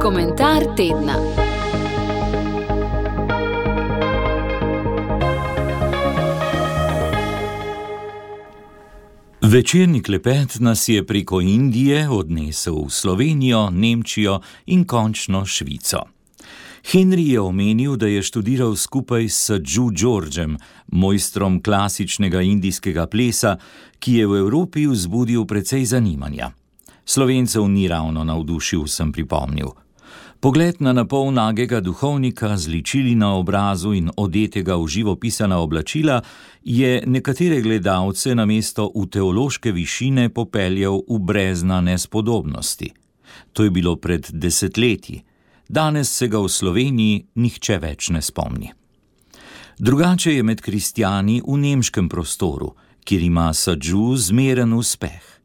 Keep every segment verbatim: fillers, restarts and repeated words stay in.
Komentar tedna. Večerni klepet nas je preko Indije odnesel v Slovenijo, Nemčijo in končno Švico. Henry je omenil, da je študiral skupaj s Sadhu Georgem, mojstrom klasičnega indijskega plesa, ki je v Evropi vzbudil precej zanimanja. Slovencev ni ravno navdušil, sem pripomnil. Pogled na napol nagega duhovnika z ličili na obrazu in odetega v živopisana oblačila je nekatere gledalce namesto v teološke višine popeljal v brezna nespodobnosti. To je bilo pred desetletji. Danes se ga v Sloveniji nihče več ne spomni. Drugače je med kristjani v nemškem prostoru, kjer ima Sadhu zmeren uspeh.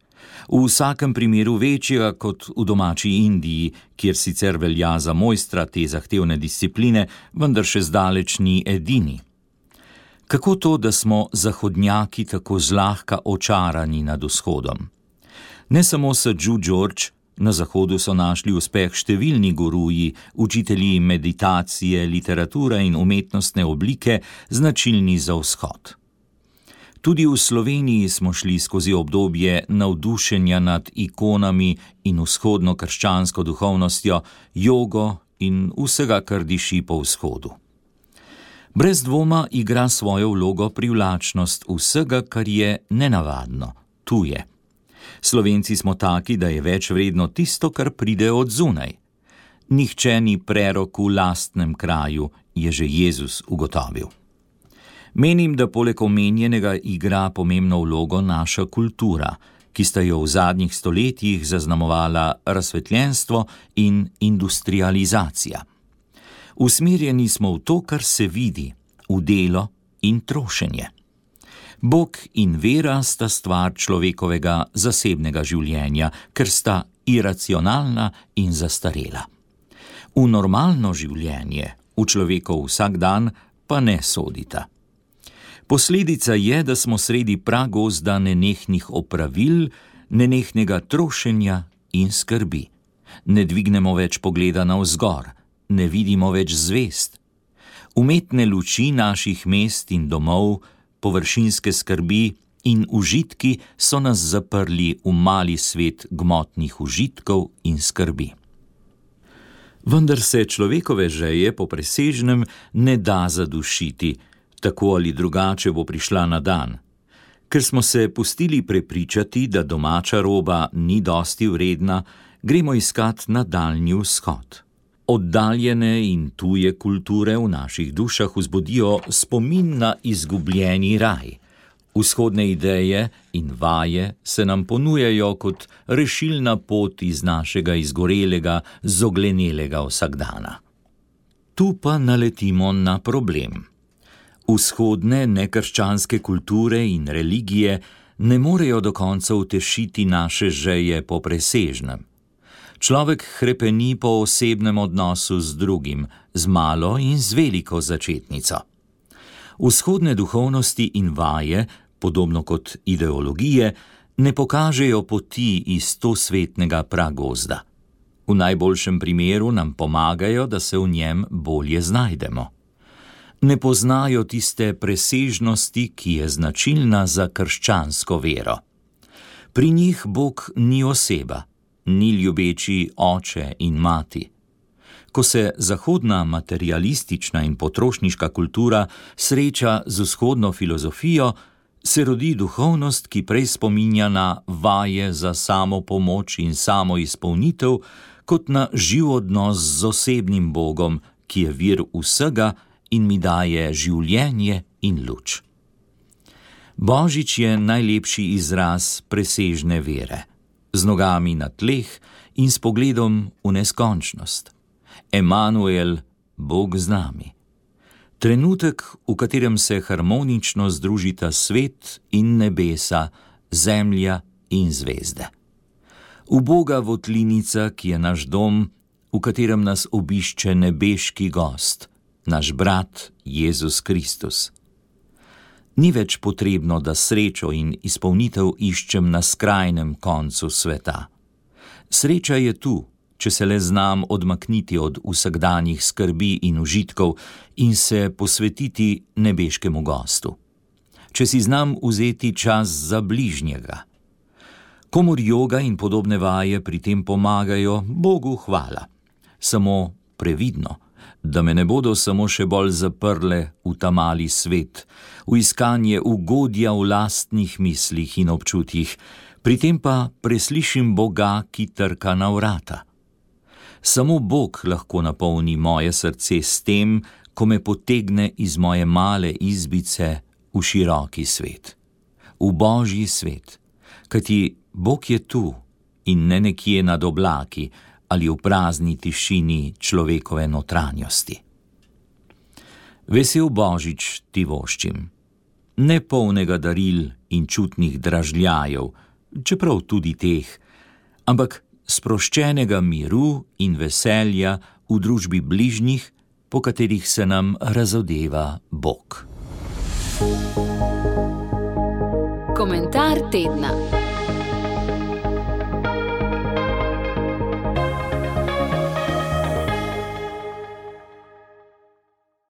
V vsakem primeru večjega kot v domači Indiji, kjer sicer velja za mojstra te zahtevne discipline, vendar še zdaleč ni edini. Kako to, da smo zahodnjaki tako zlahka očarani nad vzhodom? Ne samo Sadhu George, na zahodu so našli uspeh številni guruji, učitelji meditacije, literature in umetnostne oblike, značilni za vzhod. Tudi v Sloveniji smo šli skozi obdobje navdušenja nad ikonami in vzhodno krščansko duhovnostjo, jogo in vsega, kar diši po vzhodu. Brez dvoma igra svojo vlogo privlačnost vsega, kar je nenavadno, tuje. Slovenci smo taki, da je več vredno tisto, kar pride od zunaj. Nihče ni prerok v lastnem kraju, je že Jezus ugotovil. Menim, da poleg omenjenega igra pomembno vlogo naša kultura, ki sta jo v zadnjih stoletjih zaznamovala razsvetljenstvo in industrializacija. Usmerjeni smo v to, kar se vidi, v delo in trošenje. Bog in vera sta stvar človekovega zasebnega življenja, ker sta iracionalna in zastarela. V normalno življenje, v človekov vsakdan, pa ne sodita. Posledica je, da smo sredi pragozda nenehnih opravil, nenehnega trošenja in skrbi. Ne dvignemo več pogleda navzgor, ne vidimo več zvezd. Umetne luči naših mest in domov, površinske skrbi in užitki so nas zaprli v mali svet gmotnih užitkov in skrbi. Vendar se človekove želje po presežnem ne da zadušiti, tako ali drugače bo prišla na dan. Ker smo se pustili prepričati, da domača roba ni dosti vredna, gremo iskat na daljni vzhod. Oddaljene in tuje kulture v naših dušah vzbudijo spomin na izgubljeni raj. Vzhodne ideje in vaje se nam ponujajo kot rešilna pot iz našega izgorelega, zoglenelega vsakdana. Tu pa naletimo na problem. Vzhodne nekrščanske kulture in religije ne morejo do konca utešiti naše želje po presežnem. Človek hrepeni po osebnem odnosu z drugim, z malo in z veliko začetnico. Vzhodne duhovnosti in vaje, podobno kot ideologije, ne pokažejo poti iz tosvetnega pragozda. V najboljšem primeru nam pomagajo, da se v njem bolje znajdemo. Ne poznajo tiste presežnosti, ki je značilna za krščansko vero. Pri njih Bog ni oseba, ni ljubeči oče in mati. Ko se zahodna materialistična in potrošniška kultura sreča z vzhodno filozofijo, se rodi duhovnost, ki prej spominja na vaje za samopomoč in samoizpolnitev, kot na živ odnos z osebnim Bogom, ki je vir vsega in mi daje življenje in luč. Božič je najlepši izraz presežne vere, z nogami na tleh in s pogledom v neskončnost. Emanuel, Bog z nami. Trenutek, v katerem se harmonično združita svet in nebesa, zemlja in zvezde. Uboga votlinica, ki je naš dom, v katerem nas obišče nebeški gost, naš brat Jezus Kristus. Ni več potrebno, da srečo in izpolnitev iščem na skrajnem koncu sveta. Sreča je tu, če se le znam odmakniti od vsakdanjih skrbi in užitkov in se posvetiti nebeškemu gostu. Če si znam vzeti čas za bližnjega. Komur joga in podobne vaje pri tem pomagajo, Bogu hvala. Samo previdno, da me ne bodo samo še bolj zaprle v ta mali svet, v iskanje ugodja v lastnih mislih in občutjih, pri tem pa preslišim Boga, ki trka na vrata. Samo Bog lahko napolni moje srce s tem, ko me potegne iz moje male izbice v široki svet, v Božji svet, kajti Bog je tu in ne nekje nad oblaki ali v prazni tišini človekove notranjosti. Vesel Božič ti voščim, ne polnega daril in čutnih dražljajev, čeprav tudi teh, ampak sproščenega miru in veselja v družbi bližnjih, po katerih se nam razodeva Bog. Komentar tedna.